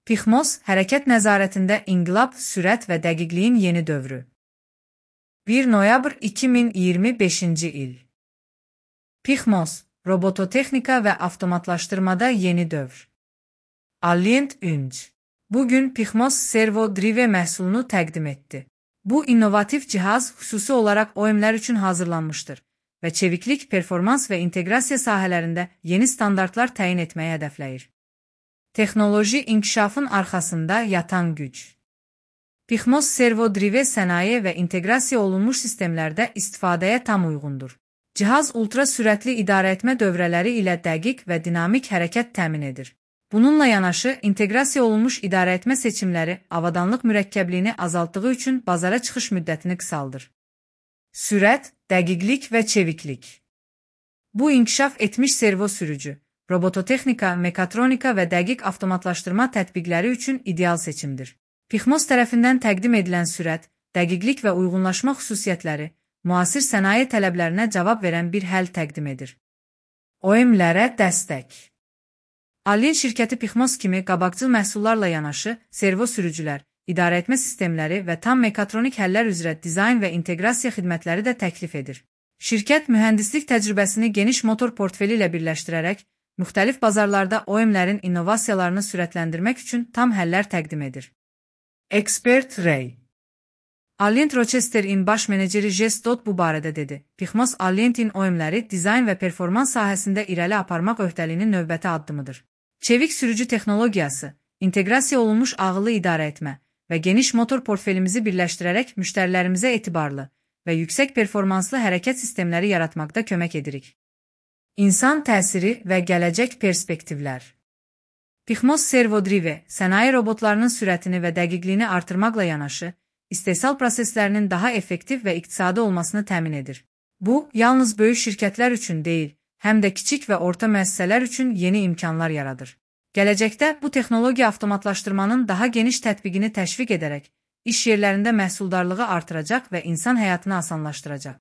Pixmos, hərəkət nəzarətində inqilab, sürət və dəqiqliyin yeni dövrü. 1 noyabr 2025-ci il. Pixmos, robototexnika və avtomatlaşdırmada yeni dövr. Allient Ünc. Bugün Pixmos Servo Drive məhsulunu təqdim etdi. Bu innovativ cihaz xüsusi olaraq OEM-lər üçün hazırlanmışdır və çeviklik, performans və inteqrasiya sahələrində yeni standartlar təyin etməyi hədəfləyir. Texnoloji inkişafın arxasında yatan güc. Pixmos Servo Drive sənaye və inteqrasiya olunmuş sistemlərdə istifadəyə tam uyğundur. Cihaz ultra sürətli idarəetmə dövrələri ilə dəqiq və dinamik hərəkət təmin edir. Bununla yanaşı, inteqrasiya olunmuş idarəetmə seçimləri avadanlıq mürəkkəbliyini azaltdığı üçün bazara çıxış müddətini qısaldır. Sürət, dəqiqlik və çeviklik. Bu inkişaf etmiş servo sürücü, robototexnika, mekatronika və dəqiq avtomatlaşdırma tətbiqləri üçün ideal seçimdir. Pixmos tərəfindən təqdim edilən sürət, dəqiqlik və uyğunlaşma xüsusiyyətləri müasir sənaye tələblərinə cavab verən bir həll təqdim edir. OEM-lərə dəstək. Allient şirkəti Pixmos kimi qabaqcıl məhsullarla yanaşı, servo sürücülər, idarəetmə sistemləri və tam mekatronik həllər üzrə dizayn və inteqrasiya xidmətləri də təklif edir. Şirkət mühəndislik təcrübəsini geniş motor portfeli ilə birləşdirərək, müxtəlif bazarlarda OEM-lərin innovasiyalarını sürətləndirmək üçün tam həllər təqdim edir. Expert Ray. Allient Rochester-in baş meneceri Jess Dodd bu barədə dedi. Pixmos Allient-in OEM-ləri dizayn və performans sahəsində irəli aparmaq öhdəliyinin növbəti addımıdır. Çevik sürücü texnologiyası, inteqrasiya olunmuş ağıllı idarəetmə və geniş motor portfelimizi birləşdirərək müştərilərimizə etibarlı və yüksək performanslı hərəkət sistemləri yaratmaqda kömək edirik. İnsan təsiri və gələcək perspektivlər. Pixmos Servo Drive, sənaye robotlarının sürətini və dəqiqliyini artırmaqla yanaşı, istehsal proseslərinin daha effektiv və iqtisadi olmasını təmin edir. Bu, yalnız böyük şirkətlər üçün deyil, həm də kiçik və orta müəssisələr üçün yeni imkanlar yaradır. Gələcəkdə bu texnologiya avtomatlaşdırmanın daha geniş tətbiqini təşviq edərək, iş yerlərində məhsuldarlığı artıracaq və insan həyatını asanlaşdıracaq.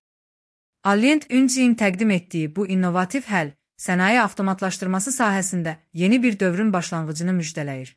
Allient Ünc-in təqdim etdiyi bu innovativ həll, sənaye avtomatlaşdırması sahəsində yeni bir dövrün başlanğıcını müjdələyir.